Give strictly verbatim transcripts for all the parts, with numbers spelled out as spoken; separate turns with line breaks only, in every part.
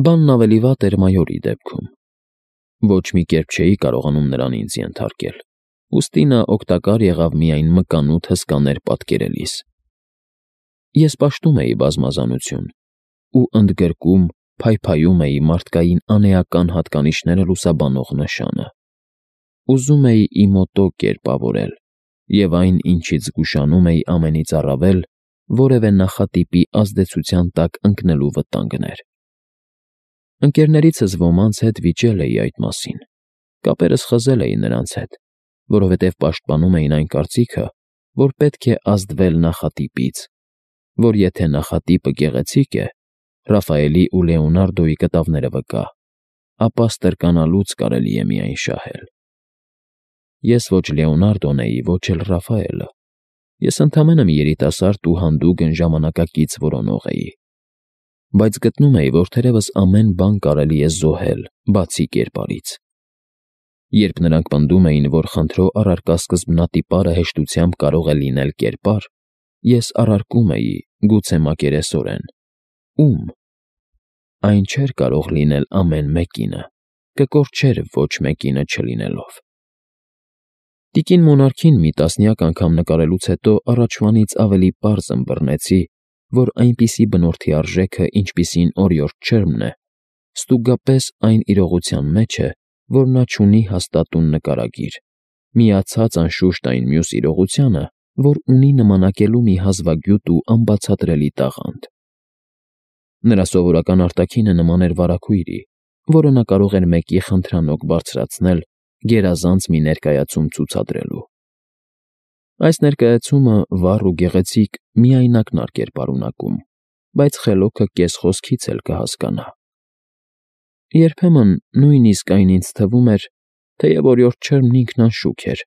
Բանն ավելի վատ էր մայորի դեպքում։ Ոչ մի կերպ չէի կարողանում նրան ինձ ենթարկել, ուստի նա օգտակար եղավ միայն մկանութ հսկաներ պատկերելիս։ Ես պաշտում էի բազմազանություն ու ընդգրկում, փայփայում էի մարդկային անեական հատկանիշները լուսաբանող նշանը։ Ուզում էի իմոտո կերպավորել, և այն, ինչից զգուշանում էի ամենից առավել, որևէ նախատիպի ազդեցության տակ ընկնելու վտանգն էր։ Ընկերներիցս ոմանց հետ վիճել էի այդ մասին, կապերս խզել էի նրանց հետ, որովհետև պաշտպանում էին այն կարծիքը, որ պետք է ազդվել նախատիպից, որ եթե նախատիպը գեղեցիկ է, Ռաֆայելի ու Լեոնարդոյի կտավները վկա, ապա ստրկանալուց կարելի է միայն շահել։ Ես ոչ Լեոնարդոն էի, ոչ էլ Ռաֆայելը, ես ընդամենը մի երիտասարդ ու հանդուգն ժամանակակից որոնող էի, բայց գտնում էի, որ թերևս ամեն բան կարելի է զոհել, բացի կերպարից։ Երբ նրանք պնդում էին, որ խնդրո առարկա սկզբնատիպարը հեշտությամբ կարող է լինել կերպար, ես առարկում էի, գուցե մակերեսորեն. ում։ Այն չէր կարող լինել ամեն մեկինը, կկորչեր ոչ մեկինը չլինելով։ Տիկին Մոնարքին մի տասնյակ անգամ նկարելուց հետո առաջվանից ավելի պարզ ըմբռնեցի, որ այնպիսի բնորդի արժեքը, ինչպիսին օրիորդ Չերմն է, ստուգապես այն իրողության մեջ է, որ նա չունի հաստատուն նկարագիր, միացած անշուշտ այն մյուս իրողությանը, որ ունի նմանակելու մի հազվագյուտ ու անբացատրելի տաղանդ։ Նրա սովորական արտաքինը նման էր վարագույրի, որը նա կարող էր մեկի խնդրանոկ բարձրացնել, գերազանց մի ներկայացում ցուցադրելու։ Այս ներկայացումը վառ ու գեղեցիկ միայնակն էր պարունակում, բայց խելոքը կես խոսքից էլ կհասկանա։ Երբեմն նույնիսկ այն ինձ թվում էր, թեև օրիորդ Չերմն ինքն անշուք էր,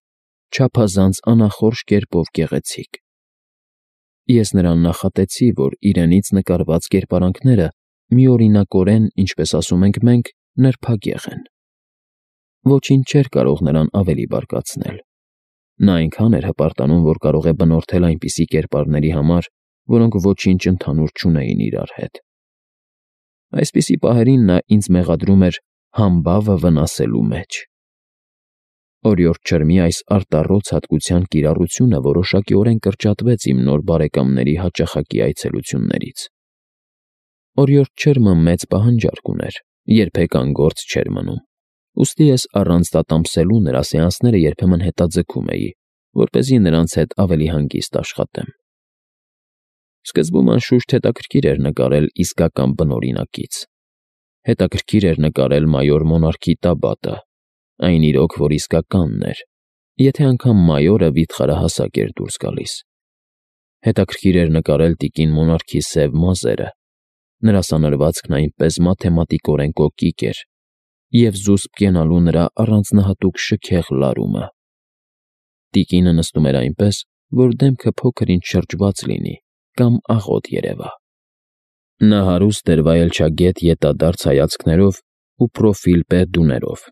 չափազանց անախորժ կերպով գեղեցիկ։ Ես նրան նախատեցի, որ իրենից նկարված կերպարանքները միօրինակորեն, ինչպես ասում ենք մենք, նրբագեղ են։ Ոչինչ չէր կարող նրան ավելի բարկացնել։ Նա այնքան էր հպարտանում, որ կարող է բնորդել այնպիսի կերպարների համար, որոնք ոչինչ ընդհանուր չունեին իրար հետ։ Այսպիսի պահերին նա ինձ մեղադրում էր համբավը վնասելու մեջ։ Օրիորդ Չերմի այս արտառոց հատկության կիրառությունը որոշակիորեն կրճատվեց իմ նոր բարեկամների հաճախակի այցելություններից։ Օրիորդ Չերմը մեծ պահանջարկ ուներ, երբեք անգործ չէր մնում, ուստի ես առանց տատամսելու նրա սեանսները երբեմն հետաձգում էի, որպեսզի նրանց հետ ավելի հանգիստ աշխատեմ։ Սկզբում անշուշտ հետաքրքիր էր նկարել իսկական բնօրինակից։ Հետաքրքիր էր նկարել մայոր Մոնարքի տաբատը, այն իրոք, որ իսկականն էր, եթե անգամ մայորը վիթխարահասակ էր դուրս գալիս։ Հետաքրքիր էր նկարել տիկին Մոնարքի սև մազերը, նրա սանրվածքն այնպես մաթեմատիկորեն կոկիկ էր, և զուսպ կենալու նրա առանձնահատուկ շքեղ լարումը։ Տիկինը նստում էր այնպես, որ դեմքը փոքր-ինչ շրջված լինի կամ աղոտ երևա։ Նա հարուստ էր վայելչագետ ետադարձ հայացքներով ու պրոֆիլ պեդուներով։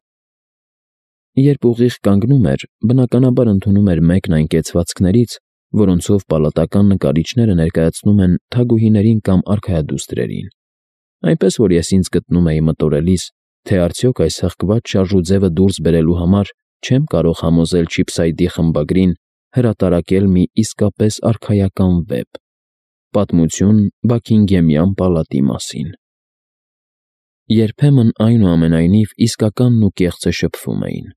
Երբ ուղիղ կանգնում էր, բնականաբար ընդունում էր մեկն այն կեցվածքներից, որոնցով պալատական նկարիչները ներկայացնում են թագուհիներին կամ արքայադուստրերին, այնպես որ ես ինձ գտնում էի մտորելիս, թե արդյոք այս հղկված շարժուձևը դուրս բերելու համար չեմ կարող համոզել Չիփսայդի խմբագրին հրատարակել մի իսկապես արքայական վեպ՝ պատմություն Բաքինգեմյան պալատի մասին։ Երբեմն, այնուամենայնիվ, իսկականն ու կեղծը շփվում էին։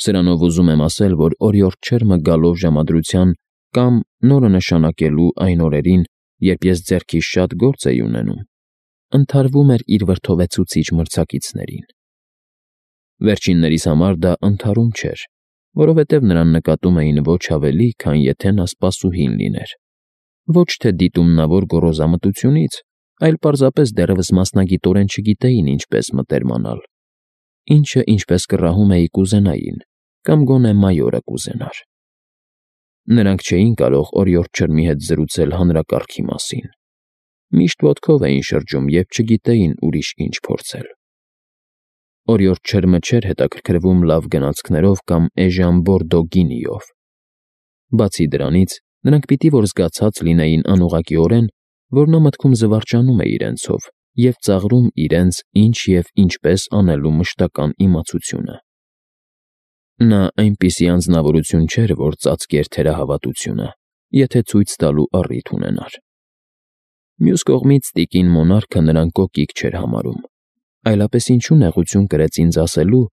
Սրանով ուզում եմ ասել, որ օրիորդ Չերմը գալով ժամադրության կամ նորը նշանակելու այն օրերին, երբ ես ձեռքիս շատ գործ էի ունենում, ընդհարվում էր իր վրդովեցուցիչ մրցակիցներին։ Վերջիններիս համար դա ընդհարում չէր, որովհետև նրան նկատում էին ոչ ավելի, քան եթե նա սպասուհին լիներ, ոչ թե դիտումնավոր գոռոզամտությունից, այլ պարզապես դեռևս մասնագիտորեն չգիտեին ինչպես մտերմանալ, ինչը, ինչպես կռահում էի, կուզենային, կամ գոնե մայորը կուզենար։ Նրանք չէին կարող օրիորդ Չերմի հետ զրուցել հանրակարգի մասին։ Միշտ ոտքով էին շրջում և չգիտեին ուրիշ ինչ փորձել։ Օրիորդ Չերմը չէր հետաքրքրվում լավ գնացքներով կամ էժան բորդո գինիով։ Բացի դրանից, նրանք պիտի որ զգացած լինեին անուղղակիորեն, որ նա մտքում զվարճանում է իրենցով և ծաղրում իրենց ինչ և ինչպես անելու մշտական իմացությունը։ Նա այնպիսի անձնավորություն չէր, որ ծածկեր թերահավատությունը, եթե ցույց տալու առիթ ունենար։ Մյուս կողմից տիկին մոնարխը նրան կոկիկ չէր համարում, այլապես ինչու նեղություն կրեց ինձ ասելու,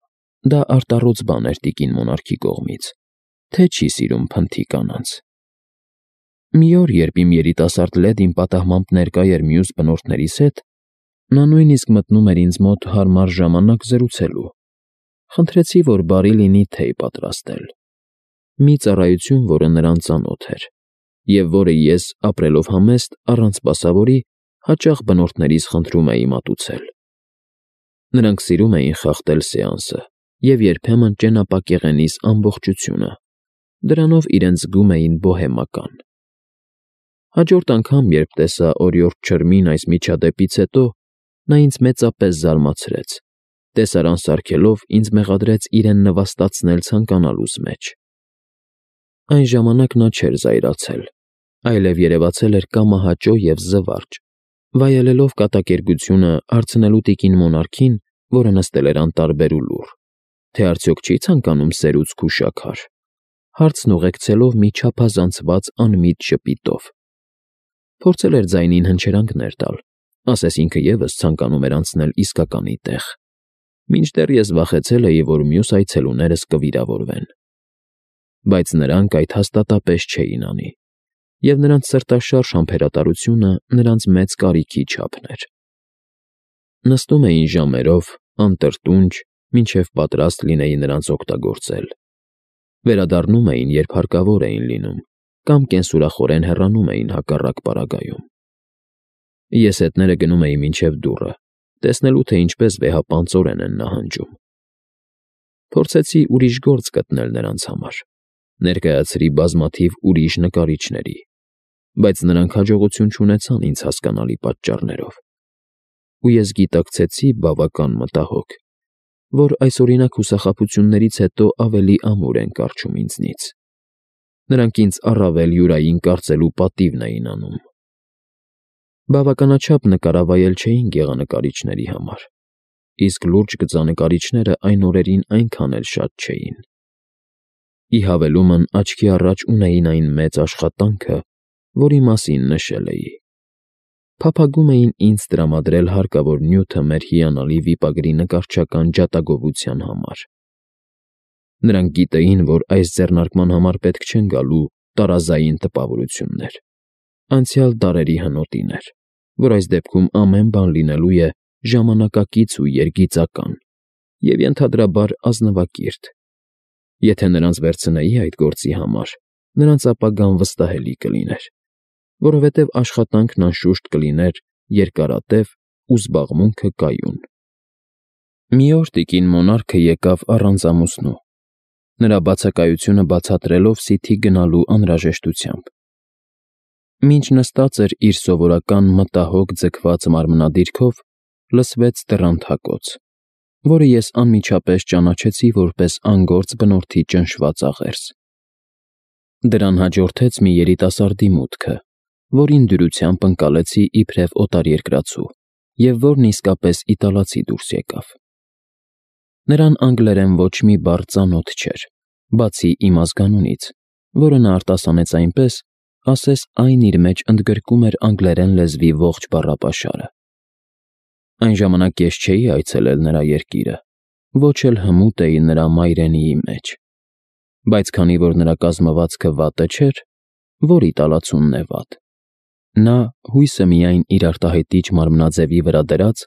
դա արտառոց բան էր տիկին մոնարխի կողմից, թե չի սիրում փնթի կանանց։ Մի օր, երբ իմ երիտասարդ լեդին պատահմամբ ներկա էր մյուս բնորդներիս հետ, նա նույնիսկ մտնում էր ինձ մոտ հարմար ժամանակ զրուցելու։ Խնդրեցի, որ բարի լինի թեյ պատրաստել։ Մի ծառայություն, որը նրան ծանոթ էր, և որը ես, ապրելով համեստ, առանց սպասավորի, հաճախ բնորդներիս խնդրում էի մատուցել։ Նրանք սիրում էին խախտել սեանսը և երբեմն ճենապակեղենիս ամբողջությունը, դրանով իրենց զգում էին բոհեմական։ Հաջորդ անգամ, երբ տեսա օրիորդ չրմին այս միջադեպից հետո, նա ինձ մեծապես զարմացրեց, տեսարան սարքելով ինձ մեղադրեց իրեն նվաստացնել ցանկանալուս մեջ։ Այն ժամանակ նա չէր զայրացել, այլև երևացել էր կամահաճո և զվարճ, վայելելով կատակերգությունը, հարցնելու տիկին մոնարխին, որը նստել էր անտարբեր ու լուռ, թե արդյոք չի ցանկանում սերուցք ու շաքար, հարցն ուղեկցելով մի չափազանցված անմիտ ժպիտով։ Փորձել էր ձայնին հնչերանգներ տալ, ասես ինքը ևս ցանկանում էր անցնել իսկականի տեղ, մինչդեռ ես վախեցել էի, որ մյուս այցելուներս կվիրավորվեն։ Բայց նրանք այդ հաստատապես չէին անի, և նրանց սրտաշարժ համբերատարությունը նրանց մեծ կարիքի չափն էր։ Նստում էին ժամերով, անտրտունջ, մինչև պատրաստ լինեի նրանց օգտագործել։ Վերադառնում էին, երբ հարկավոր էին լինում, կամ կենսուրախորեն հեռանում էին հակառակ պարագայում։ Ես հետները գնում էի մինչև դուռը, տեսնելու, թե ինչպես վեհապանծորեն են նահանջում։ Փորձեցի ուրիշ գործ գտնել նրանց համար, ներկայացրի բազմաթիվ ուրիշ նկարիչների, բայց նրանք հաջողություն չունեցան ինձ հասկանալի պատճառներով։ Ու ես գիտակցեցի բավական մտահոգ, որ այսօրինակ հուսախաբություններից հետո ավելի ամուր են կառչում ինձնից։ Նրանք ինձ առավել յուրային կարծելու պատիվն էին անում։ Բավականաչափ նկարավայել չէին գեղանկարիչների համար, իսկ լուրջ գծանկարիչները այն օրերին այնքան էլ շատ չէին։ Ի հավելումն աչքի առաջ ունեին այն մեծ աշխատանքը, որի մասին նշել էի։ Փափագում էին ինձ տրամադրել հարկավոր նյութը մեր հիանալի վիպագրի նկարչական ջատագովության համար։ Նրանք գիտեին, որ այս ձեռնարկման համար պետք չեն գալու տարազային տպավորություններ, անցյալ դարերի հնոտիներ, որ այս դեպքում ամեն բան լինելու է ժամանակակից ու երգիծական և ենթադրաբար ազնվակիրթ։ Եթե նրանց վերցնեի այդ գործի համար, նրանց ապագան վստահելի կլիներ, որովհետև աշխատանքն անշուշտ կլիներ երկարատև ու զբաղմունքը կայուն։ Մի օր տիկին մոնարխը եկավ առանց ամուսնու, նրա բացակայությունը բացատրելով սիթի գնալու անհրաժեշտությամբ։ Մինչ նստած էր իր սովորական մտահոգ ձգված մարմնադիրքով, լսվեց դռան թակոց, որը ես անմիջապես ճանաչեցի որպես անգործ բնորդի ճնշված աղերս։ Դրան հաջորդեց մի երիտասարդի մուտքը, որին դյուրությամբ ընկալեցի իբրև օտարերկրացու, և որն իսկապես իտալացի դուրս եկավ։ Նրան անգլերեն ոչ մի բառ ծանոթ չէր, բացի իմ ազգանունից, որը նա արտասանեց այնպես, ասես այն իր մեջ ընդգրկում էր անգլերեն լեզվի ողջ բառապաշարը։ Այն ժամանակ ես չէի այցելել նրա երկիրը, ոչ էլ հմուտ էի նրա մայրենիի մեջ, բայց քանի որ նրա կազմվածքը վատը չէր, որ իտալացունն է վատ, նա, հույսը միայն իր արտահայտիչ մարմնաձևի վրա դրած,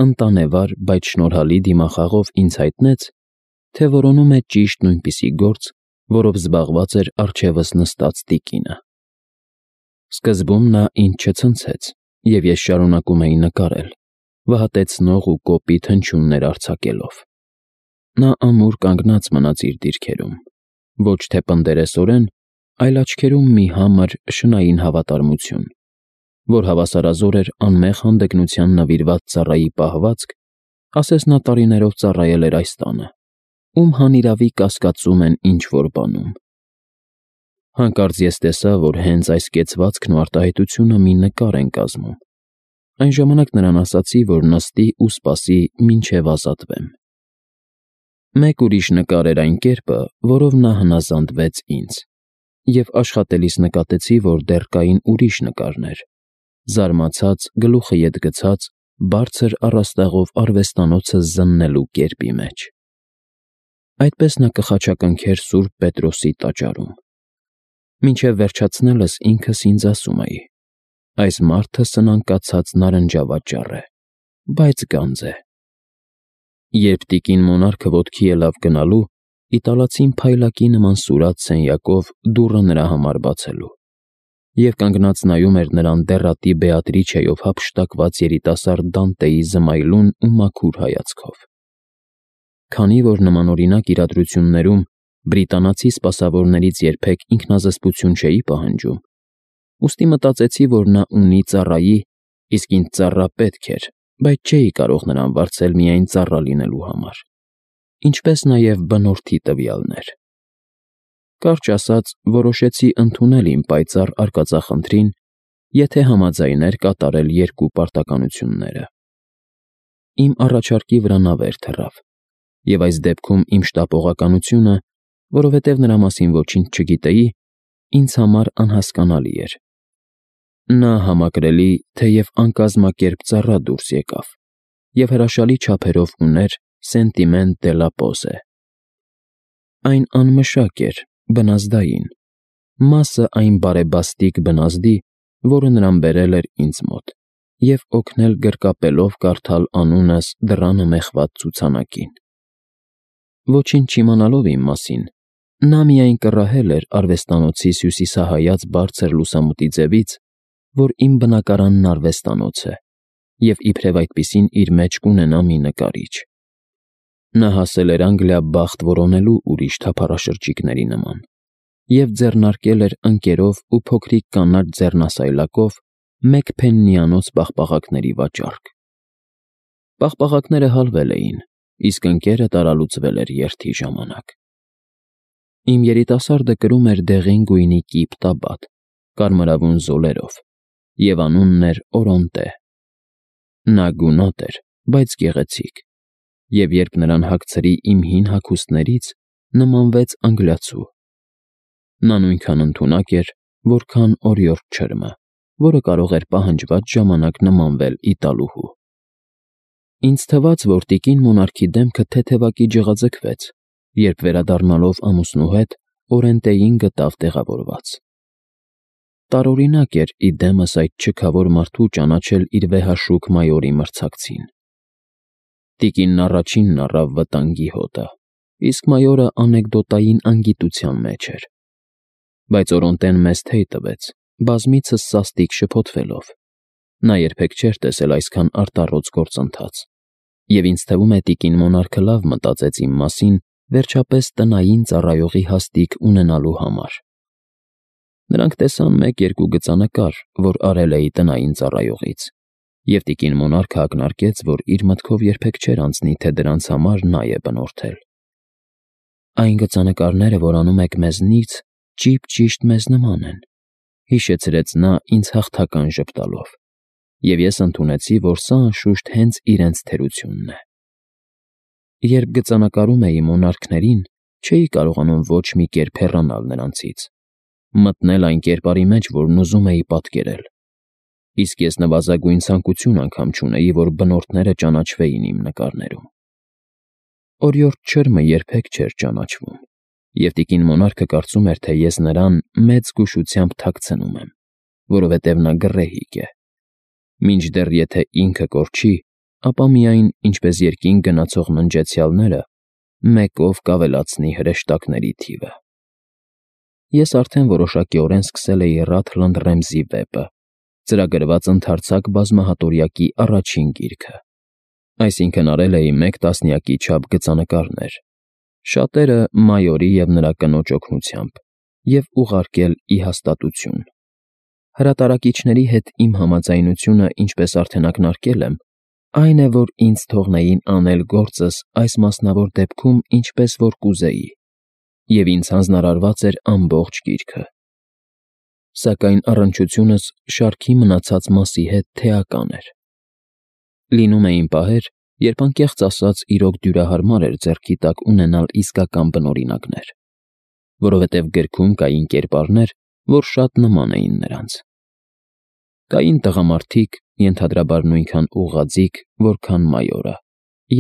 ընտանեվար, բայց շնորհալի դիմախաղով ինձ հայտնեց, թե որոնում է ճիշտ նույնպիսի գործ, որով զբաղված էր առջևս նստած տիկինը։ Սկզբում նա ինձ չցնցեց, և ես շարունակում էի նկարել, վհատեցնող ու կոպիտ հնչյուններ արձակելով։ Նա ամուր կանգնած մնաց իր դիրքերում, ոչ թե պնդերեսորեն, այլ աչքերում մի համր, շնային հավատարմություն, որ հավասարազոր էր անմեղ հանդգնության նվիրված ծառայի պահվածք, ասես նա տարիներով ծառայել էր այս տանը, ում հանիրավի կասկածում են ինչ-որ բանում։ Հանկարծ ես տեսա, որ հենց այս կեցվածքն ու արտահայտությունը մի նկար են կազմում, Այն ժամանակ նրան ասացի, որ նստի ու սպասի, մինչև ազատվեմ։ Մեկ ուրիշ նկար էր այն կերպը, որով նա հնազանդվեց ինձ, և աշխատելիս նկատեցի, որ դեռ կային ուրիշ նկարներ, զարմացած, գլուխը ետ գցած, բարձր առաստաղով արվեստանոցը զննելու կերպի մեջ։ Այդպես նա կխաչակնքեր Սուրբ Պետրոսի տաճարում։ Մինչև վերջացնելս ինքս ինձ ասում էի. այս մարդը սնանկացած նարնջավաճառ է, բայց գանձ է։ Երբ տիկին մոնարխը ոտքի ելավ գնալու, իտալացին փայլակի նման սուրաց սենյակով դուռը նրա համար բացելու, և կանգնած նայում էր նրան դեռատի Բեատրիչեով հափշտակված երիտասարդ Դանտեի զմայլուն ու մաքուր հայացքով։ Քանի որ նմանօրինակ իրադրություններում բրիտանացի սպասավորներից երբեք ինքնազսպություն չէի պահանջում, ուստի մտածեցի, որ նա ունի ծառայի, իսկ ինձ ծառա պետք էր, բայց չէի կարող նրան վարձել միայն ծառա լինելու համար, ինչպես նաև բնորդի տվյալներ։ Կարճ ասած, որոշեցի ընդունել իմ պայծառ արկածախնդրին, եթե համաձայներ կատարել երկու պարտականությունները։ Իմ առաջարկի վրա նա վեր թռավ, և այս դեպքում իմ շտապողականությունը, որովհետև նրա մասին ոչինչ չգիտեի, ինձ համար անհասկանալի էր։ Նա համակրելի, թեև անկազմակերպ ծառա դուրս եկավ և հրաշալի չափերով ուներ Սենտիմենտ դե լա Պոզե։ Այն անմշակ էր, բնազդային, մասը այն բարեբաստիկ բնազդի, որը նրան բերել էր ինձ մոտ և օգնել գրկապելով կարդալ անունս դռանը մեխված ցուցանակին։ Ոչինչ չիմանալով իմ մասին, նա միայն կռահել էր արվեստանոցի հյուսիսահայաց բարձր լուսամուտի ձևից, որ իմ բնակարանն արվեստանոց է, և իբրև այդպիսին իր մեջ կունենա մի նկարիչ։ Նա հասել էր Անգլիա բախտ որոնելու ուրիշ թափառաշրջիկների նման և ձեռնարկել էր ընկերով ու փոքրիկ կանաչ ձեռնասայլակով մեկ փեննիանոց պաղպաղակների վաճառք։ Պաղպաղակները հալվել էին, իսկ ընկերը տարալուծվել էր երթի ժամանակ։ Իմ երիտասարդը կրում էր դեղին գույնի կիպ տաբատ, կարմրավուն զոլերով, և անունն էր Օրոնտե։ Նա գունատ էր, բայց գեղեցիկ, և երբ նրան հագցրի իմ հին հագուստներից, նմանվեց անգլիացու։ Նա նույնքան ընդունակ էր, որքան օրիորդ չրմը, որը կարող էր պահանջված ժամանակ նմանվել իտալուհու։ Ինձ թվաց, որ տիկին մոնարխի դեմքը թեթևակի ջղաձգվեց, երբ վերադառնալով ամուսնու հետ Օրենտեին գտավ տեղավորված։ Տարօրինակ էր ի դեմս այդ չքավոր մարդու ճանաչել իր վեհաշուք մայորի մրցակցին։ Տիկինն առաջինն առավ վտանգի հոտը, իսկ մայորը անեկդոտային անգիտության մեջ էր։ Բայց Օրոնտեն մեզ թեյ տվեց, բազմիցս սաստիկ շփոթվելով։ Նա երբեք չէր տեսել այսքան արտառոց գործընթաց, և ինձ թվում է տիկին մոնարխը լավ մտածեց իմ մասին, վերջապես տնային ծառայողի հաստիք ունենալու համար։ Նրանք տեսան մեկ֊երկու գծանկար, որ արել էի տնային ծառայողից, և տիկին մոնարխը ակնարկեց, որ իր մտքով երբեք չէր անցնի, թե դրանց համար նա է բնորդել։ Այն գծանկարները, որ անում եք մեզնից, ճիպ֊ճիշտ մեզ նման են, հիշեցրեց նա ինձ հաղթական ժպտալով, և ես ընդունեցի, որ սա անշուշտ հենց իրենց թերությունն է։ Երբ գծանկարում էի մոնարխներին, չէի կարողանում ոչ մի կերպ հեռանալ նրանցից, մտնել այն կերպարի մեջ, որն ուզում էի պատկերել, իսկ ես նվազագույն ցանկություն անգամ չունեի, որ բնորդները ճանաչվեին իմ նկարներում։ Օրիորդ չրմը երբեք չէր ճանաչվում, և տիկին մոնարխը կարծում էր, թե ես նրան մեծ զգուշությամբ թաքցնում եմ, որովհետև նա գռեհիկ է։ Մինչդեռ եթե ինքը կորչի, ապա միայն, ինչպես երկինք գնացող ննջեցյալները, մեկով կավելացնի հրեշտակների թիվը։ Ես արդեն որոշակիորեն սկսել էի Ռաթլընդ Ռեմզի վեպը, ծրագրված ընդարձակ բազմահատորյակի առաջին գիրքը, այսինքն արել էի մեկ տասնյակի չափ գծանկարներ, շատերը մայորի և նրա կնոջ օգնությամբ, և ուղարկել ի հաստատություն։ Հրատարակիչների հետ իմ համաձայնությունը, ինչպես արդեն ակնարկել եմ, այն է, որ ինձ թողնեին անել գործս այս մասնավոր դեպքում ինչպես որ կուզեի, և ինձ հանձնարարված էր ամբողջ գիրքը։ Սակայն առնչությունս շարքի մնացած մասի հետ թեական էր։ Լինում էին պահեր, երբ անկեղծ ասած իրոք դյուրահարմար էր ձեռքի տակ ունենալ իսկական բնօրինակներ, որովհետև գրքում կային կերպարներ, որ շատ նման էին նրանց։ Կային տղամարդիկ, ենթադրաբար նույնքան ուղղաձիգ, որքան մայորը,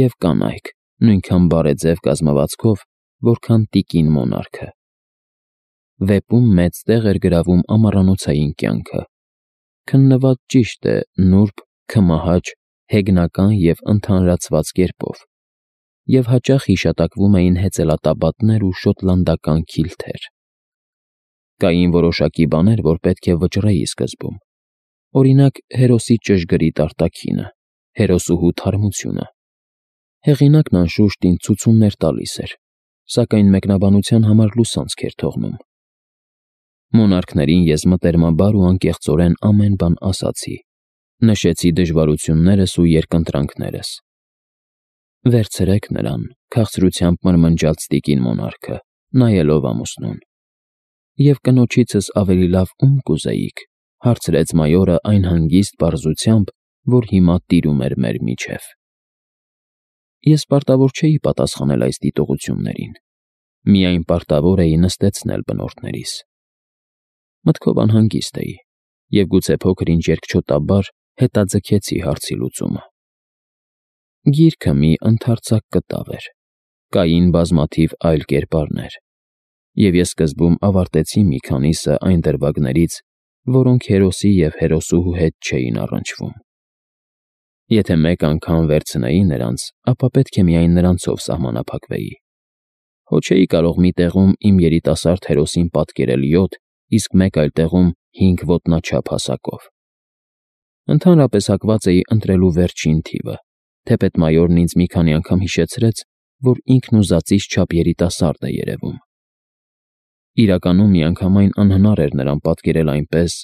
և կանայք, նույնքան բարեձև կազմվածքով, որքան տիկին մոնարխը։ Վեպում մեծ տեղ էր գրավում ամառանոցային կյանքը, քննված ճիշտ է նուրբ, քմահաճ, հեգնական և ընդհանրացված կերպով, և հաճախ հիշատակվում էին հեծելատաբատներ ու շոտլանդական քիլթեր։ Կային որոշակի բաներ, որ պետք է վճռեի սկզբում, օրինակ հերոսի ճշգրիտ արտաքինը, հերոսուհու թարմությունը։ Հեղինակն անշուշտ ինձ ցուցումներ տալիս էր, սակայն մեկնաբանության համար լուսանցք էր թողնում։ Մոնարխներին ես մտերմաբար ու անկեղծորեն ամեն բան ասացի, նշեցի դժվարություններս ու երկընտրանքներս։ Վերցրեք նրան, քաղցրությամբ մրմնջաց տիկին մոնարխը, նայելով ամուսնուն։ Եվ կնոջիցս ավելի լավ ում կուզեիք, հարցրեց մայորը այն հանգիստ պարզությամբ, որ հիմա տիրում էր մեր միջև։ Ես պարտավոր չէի պատասխանել այս դիտողություններին, միայն պարտավոր էի նստեցնել բնորդներիս։ Մտքով անհանգիստ էի, և գուցե փոքր-ինչ երկչոտաբար հետաձգեցի հարցի լուծումը։ Գիրքը մի ընդարձակ կտավ էր, կային բազմաթիվ այլ կերպարներ, և ես սկզբում ավարտեցի մի քանիսը այն դրվագներից, որոնք հերոսի և հերոսուհու հետ չէին առնչվում։ Եթե մեկ անգամ վերցնեի նրանց, ապա պետք է միայն նրանցով սահմանափակվեի։ Հո չէի կարող մի տեղում իմ երիտասարդ հերոսին պատկերել յոթ, իսկ մեկ այլ տեղում հինգ ոտնաչափ հասակով։ Ընդհանրապես հակված էի ընտրելու վերջին թիվը, թեպետ մայորն ինձ մի քանի անգամ հիշեցրեց, որ ինքն ուզածից չափ երիտասարդ է երևում։ Իրականում միանգամայն անհնար էր նրան պատկերել այնպես,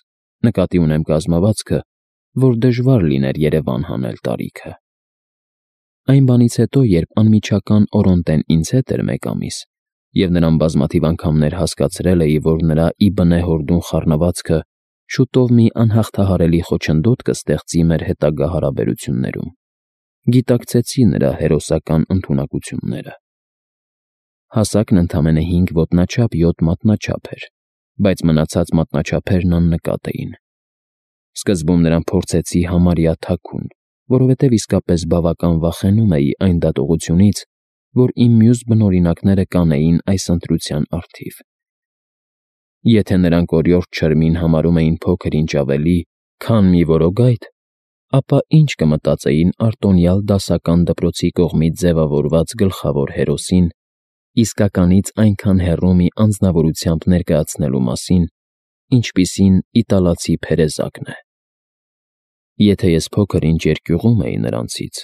նկատի ունեմ կազմվածքը, որ դժվար լիներ երևան հանել տարիքը։ Այն բանից հետո, երբ անմիջական Օրոնտեն ինձ հետ էր մեկ ամիս, և նրան բազմաթիվ անգամներ հասկացրել էի, որ նրա ի բնե հորդուն խառնվածքը շուտով մի անհաղթահարելի խոչընդոտ կստեղծի մեր հետագա հարաբերություններում, գիտակցեցի նրա հերոսական ընդունակությունները։ Հասակն ընդամենը հինգ ոտնաչափ յոթ մատնաչափ էր, բայց մնացած մատնաչափերն աննկատ էին։ Սկզբում նրան փորձեցի համարյա թաքուն, որովհետև իսկապես բավական վախենում էի այն դատողությունից, որ իմ մյուս բնօրինակները կանեին այս ընտրության առթիվ։ Եթե նրանք օրիորդ չրմին համարում էին փոքր-ինչ ավելի, քան մի որոգայթ, ապա ինչ կմտածեին արտոնյալ դասական դպրոցի կողմից ձևավորված գլխավոր հերոսին իսկականից այնքան հեռու մի անձնավորությամբ ներկայացնելու մասին, ինչպիսին իտալացի Փերեզակն է։ Եթե ես փոքր-ինչ երկյուղում էի նրանցից,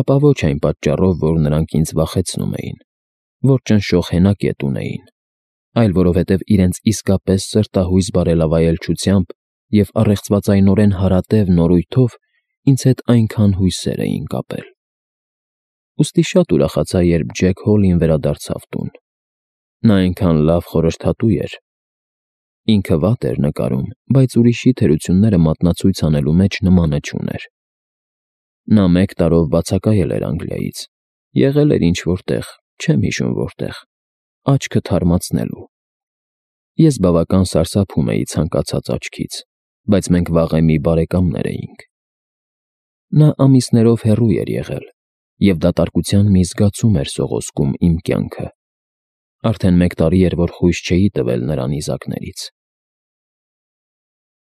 ապա ոչ այն պատճառով, որ նրանք ինձ վախեցնում էին, որ ճնշող հենակետ ունեին, այլ որովհետև իրենց իսկապես սրտահույս բարելավայելչությամբ և առեղծվածայնորեն հարատև նորույթով ինձ հետ այնքան հույսեր էին կապել։ Ուստի շատ ուրախացա, երբ Ջեք Հոլին վերադարձավ տուն։ Նա այնքան լավ խորհրդատու էր։ Ինքը վատ էր նկարում, բայց ուրիշի թերությունները մատնացույց անելու մեջ նմանը չուներ։ Նա մեկ տարով բացակայել էր Անգլիայից, եղել էր ինչ֊որ տեղ, չեմ հիշում որտեղ, աչքը թարմացնելու։ Ես բավական սարսափում էի ցանկացած աչքից, բայց մենք վաղեմի բարեկամներ էինք։ Նա ամիսներով հեռու էր եղել, և դատարկության մի զգացում էր սողոսկում իմ կյանքը։ Արդեն մեկ տարի էր, որ խույս չէի տվել նրա նիզակներից։